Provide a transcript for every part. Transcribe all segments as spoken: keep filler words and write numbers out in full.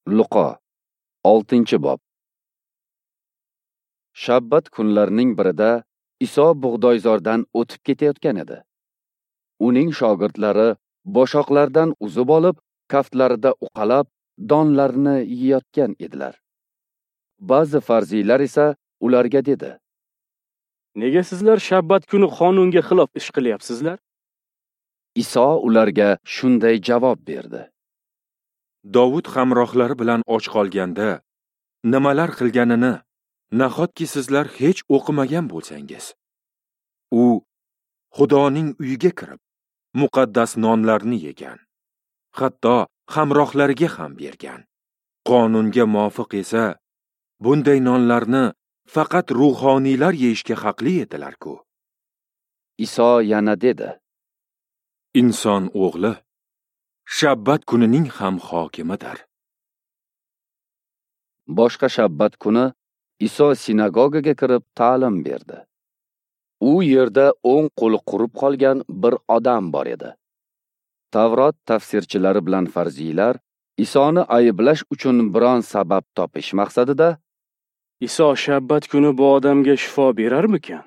Luqo, oltinchi bob. Shabbat kunlarining birida Iso bug'doyzordan o'tib ketayotgan edi. Uning shogirdlari boshoqlardan uzib olib, kaftlarida uqalab, donlarni yeyotgan edilar. Ba'zi farziylar esa ularga dedi: Nega sizlar shabbat kuni qonunga xilof ish qilyapsizlar? Iso ularga shunday javob berdi: Dovud hamrohlari bilan och qolganda nimalar qilganini nahotki sizlar hech o'qimagan bo'lsangiz. U Xudoning uyiga kirib, muqaddas nonlarni yegan, hatto hamrohlariga ham bergan. Qonunga muvofiq esa bunday nonlarni faqat ruhoniylar yeyishga haqli edilar-ku. Iso yana dedi: Inson o'g'li shabbat kunining ham hokimidir. Boshqa shabbat kuni Iso sinagogaga kirib ta'lim berdi. U yerda o'ng qo'li qurib qolgan bir odam bor edi. Tavrot tafsirchilari bilan farziylar Isoni ayblash uchun biron sabab topish maqsadida Iso shabbat kuni bu odamga shifo berarmikan,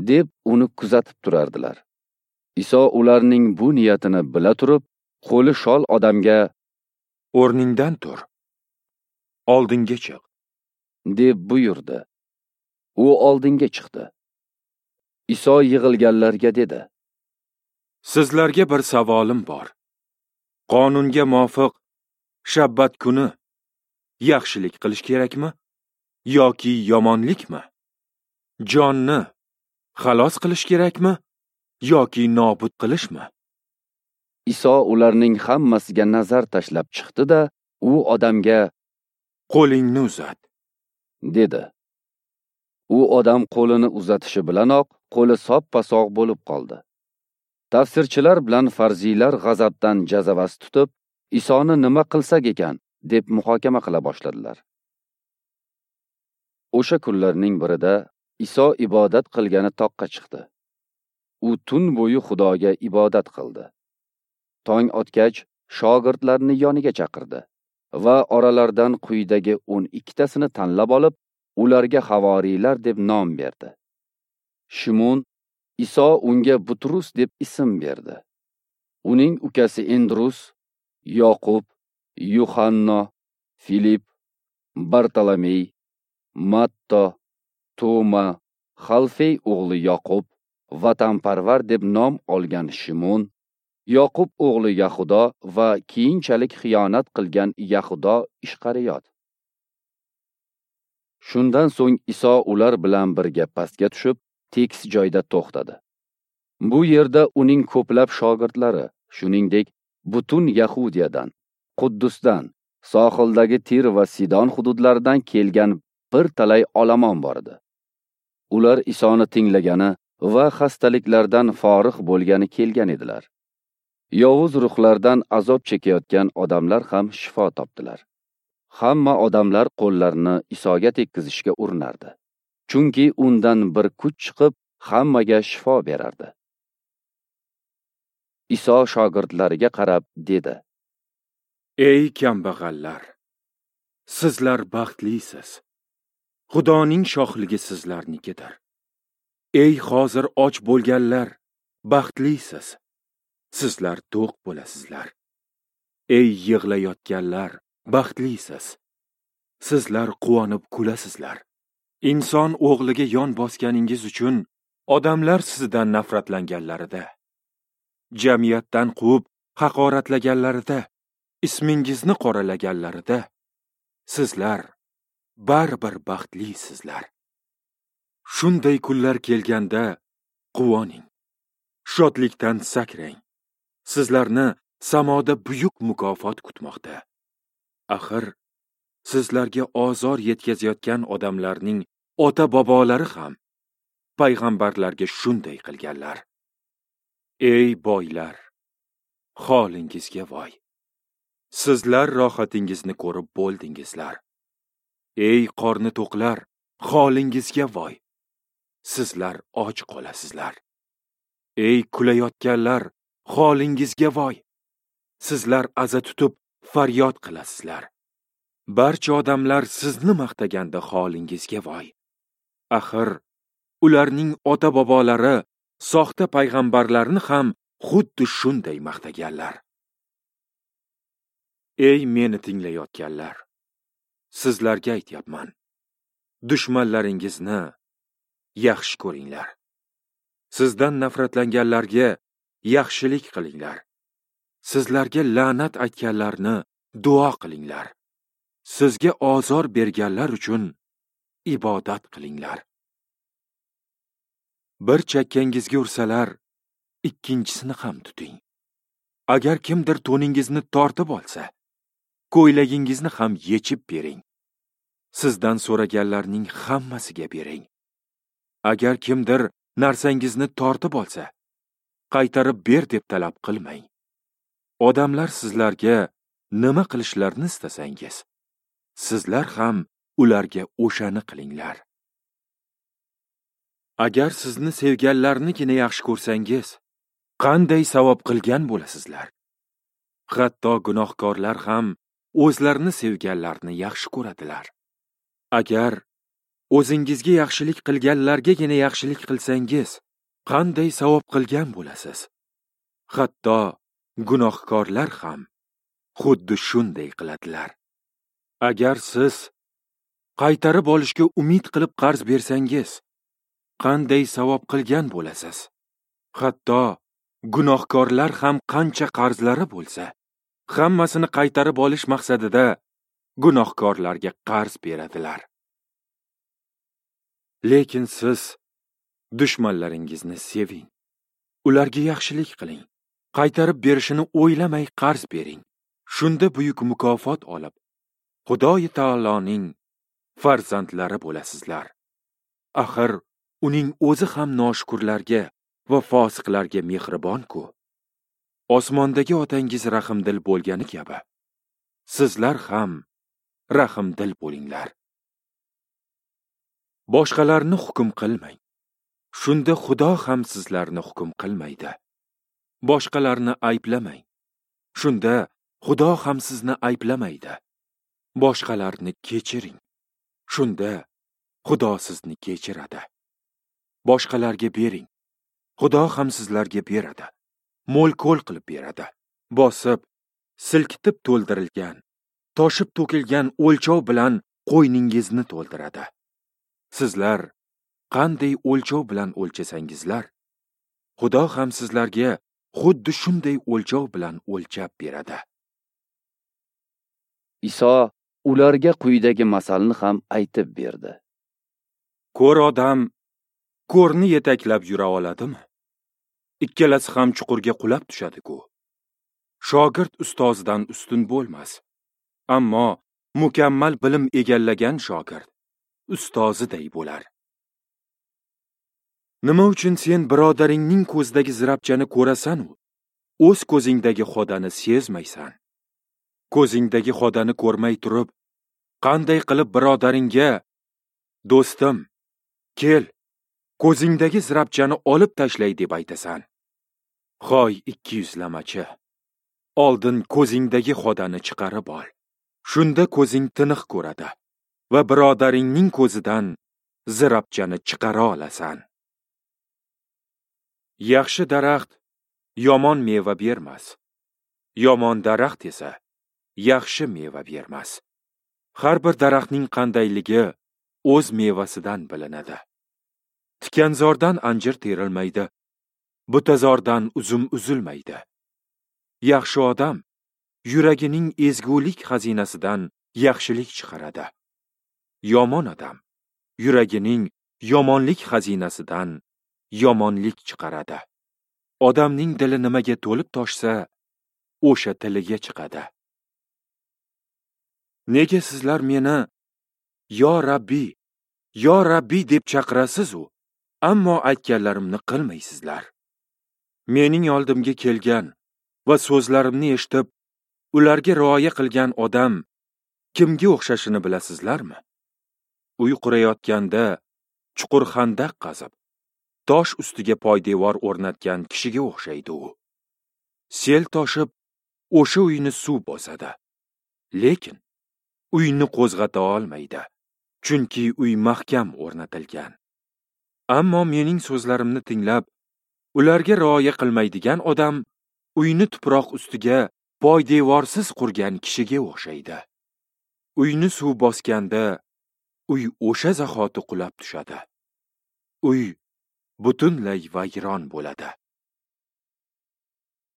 deb uni kuzatib turardilar. Iso ularning bu niyatini bila turib, qo'li shol odamga: O'rningdan tur, oldinga chiq, deb buyurdi. U oldinga chiqdi. Iso yig'ilganlarga dedi: Sizlarga bir savolim bor. Qonunga muvofiq shabbat kuni yaxshilik qilish kerakmi yoki yomonlikmi? Jonni xalos qilish kerakmi yoki nobud qilishmi? Iso ularning hammasiga nazar tashlab chiqdi-da, u odamga: Qo'lingni uzat, dedi. U odam qo'lini uzatishi bilanoq qo'li soppa-sog' bo'lib qoldi. Tafsirchilar bilan farziylar g'azabdan jazavasi tutib, Isoni nima qilsak ekan deb muhokama qila boshladilar. O'sha kunlarning birida Iso ibodat qilgani toqqa chiqdi. U tun bo'yi Xudoga ibodat qildi. Tong otgach, shogirdlarni yoniga chaqirdi va oralaridan quyidagi o'n ikkitasini tanlab olib, ularga havoriylar deb nom berdi. Shimon, Iso unga Butrus deb ism berdi. Uning ukasi Endrus, Yoqub, Yuhanno, Filip, Bartolomey, Matto, Toma, Xalfey o'g'li Yoqub, vatanparvar deb nom olgan Shimon, Yoqub o'g'li Yahudo va keyinchalik xiyonat qilgan Yahudo Ishqariyot. Shundan so'ng Iso ular bilan birga pastga tushib, tekis joyda to'xtadi. Bu yerda uning ko'plab shogirdlari, shuningdek, butun Yahudiyadan, Quddusdan, sohildagi Tir va Sidon hududlaridan kelgan bir talay olomon bor edi. Ular Isoni tinglagani va xastaliklardan forig' bo'lgani kelgan edilar. Yovuz ruhlardan azob chekayotgan odamlar ham shifo topdilar. Hamma odamlar qo'llarini Isoga tekkizishga urinardi. Chunki undan bir kuch chiqib, hammaga shifo berardi. Iso shogirdlariga qarab dedi: Ey kambag'allar, sizlar baxtlisiz. Xudoning shohligi sizlarnikidir. Ey hozir och bo'lganlar, baxtlisiz. Sizlar to'q bo'lasizlar. Ey yig'layotganlar, baxtlisiz. Sizlar quvonib kulasizlar. Inson o'g'liga yon bosganingiz uchun odamlar sizdan nafratlanganlarida, jamiyatdan quvib haqoratlaganlarida, ismingizni qoralaganlarida, sizlar baribir baxtlisizlar. Shunday kunlar kelganda quvoning, shodlikdan sakrang. Sizlarni samoda buyuk mukofot kutmoqda. Axir sizlarga ozor yetkazayotgan odamlarning ota-bobolari ham payg'ambarlarga shunday qilganlar. Ey boylar, holingizga voy. Sizlar rohatingizni ko'rib bo'ldingizlar. Ey qorni to'qlar, holingizga voy. Sizlar och qolasizlar. Ey kulayotganlar, holingizga voy. Sizlar aza tutib faryod qilasizlar. Barcha odamlar sizni maqtaganda holingizga voy. Axir ularning ota-bobolari soxta payg'ambarlarni ham xuddi shunday maqtaganlar. Ey meni tinglayotganlar, sizlarga aytyapman. Dushmanlaringizni yaxshi ko'ringlar. Sizdan nafratlanganlarga yaxshilik qilinglar. Sizlarga la'nat aytganlarni duo qilinglar. Sizga ozor berganlar uchun ibodat qilinglar. Bir chakkangizga ursalar, ikkinchisini ham tuting. Agar kimdir to'ningizni tortib olsa, ko'ylagingizni ham yechib bering. Sizdan so'raganlarning hammasiga bering. Agar kimdir narsangizni tortib olsa, qaytarib ber deb talab qilmang. Odamlar sizlarga nima qilishlarini istasangiz, sizlar ham ularga o'shani qilinglar. Agar sizni sevganlarnigina yaxshi ko'rsangiz, qanday savob qilgan bo'lasizlar? Hatto gunohkorlar ham o'zlarini sevganlarni yaxshi ko'radilar. Agar o'zingizga yaxshilik qilganlargagina yaxshilik qilsangiz, qanday savob qilgan bo'lasiz? Hatto gunohkorlar ham xuddi shunday qiladilar. Agar siz qaytarib olishga umid qilib qarz bersangiz, qanday savob qilgan bo'lasiz? Hatto gunohkorlar ham qancha qarzlari bo'lsa, hammasini qaytarib olish maqsadida gunohkorlarga qarz beradilar. Lekin siz dushmanlaringizni seving, ularga yaxshilik qiling, qaytarib berishini o'ylamay qarz bering. Shunda buyuk mukofot olib, Xudoyi taoloning farzandlari bo'lasizlar. Axir uning o'zi ham noshukurlarga va fosiqlarga mehribon-ku. Osmondagi otangiz rahimdil bo'lgani kabi, sizlar ham rahimdil bo'linglar. Boshqalarni hukm qilmang. Shunda Xudo ham sizlarni hukm qilmaydi. Boshqalarni ayblamang. Shunda Xudo ham sizni ayblamaydi. Boshqalarni kechiring. Shunda Xudo sizni kechiradi. Boshqalarga bering. Xudo ham sizlarga beradi. Mo'l-ko'l qilib beradi. Bosib, silkitib to'ldirilgan, toshib to'kilgan o'lchov bilan qo'yningizni to'ldiradi. Sizlar qanday o'lchov bilan o'lchasangizlar, Xudo ham sizlarga xuddi shunday o'lchov bilan o'lchab beradi. Iso ularga quyidagi masalni ham aytib berdi. Ko'r odam ko'rni yetaklab yura oladimi? Ikkalasi ham chuqurga qulab tushadi-ku. Shogird ustozidan ustun bo'lmas, ammo mukammal bilim egallagan shogird ustoziday bo'lar. Nima uchun sen birodaringning ko'zidagi zirapchani ko'rasan-u, o'z ko'zingdagi xodani sezmaysan? Ko'zingdagi xodani ko'rmay turib, qanday qilib birodaringga, do'stim, kel, ko'zingdagi zirapchani olib tashlay deb aytasan? Hoy ikki yuzlamachi, oldin ko'zingdagi xodani chiqarib ol. Shunda ko'zing tiniq ko'radi va birodaringning ko'zidan zirapchani chiqara olasan. Yaxshi daraxt yomon meva bermas, yomon daraxt esa yaxshi meva bermas. Har bir daraxtning qandayligi o'z mevasidan bilinadi. Tikanzordan anjir terilmaydi, butazordan uzum uzilmaydi. Yaxshi odam yuragining ezgulik xazinasidan yaxshilik chiqaradi. Yomon odam yuragining yomonlik xazinasidan yomonlik chiqaradi. Odamning dili nimaga to'lib toshsa, o'sha tiliga chiqadi. Nega sizlar meni yo Rabbi, yo Rabbi deb chaqirasiz-u, ammo aytganlarimni qilmaysizlar? Mening oldimga kelgan va so'zlarimni eshitib, ularga rioya qilgan odam kimga o'xshashini bilasizlarmi? Uy qurayotganda chuqur xandaq qazib, tosh ustiga poydevor o'rnatgan kishiga o'xshaydi u. Sel toshib, o'sha uyni suv bosadi. Lekin uyni qo'zg'ata olmaydi, chunki uy mahkam o'rnatilgan. Ammo mening so'zlarimni tinglab, ularga rioya qilmaydigan odam uyni tuproq ustiga poydevorsiz qurgan kishiga o'xshaydi. Uyni suv bosganda uy o'sha zahoti qulab tushadi. Uy butunlay vayron bo'ladi.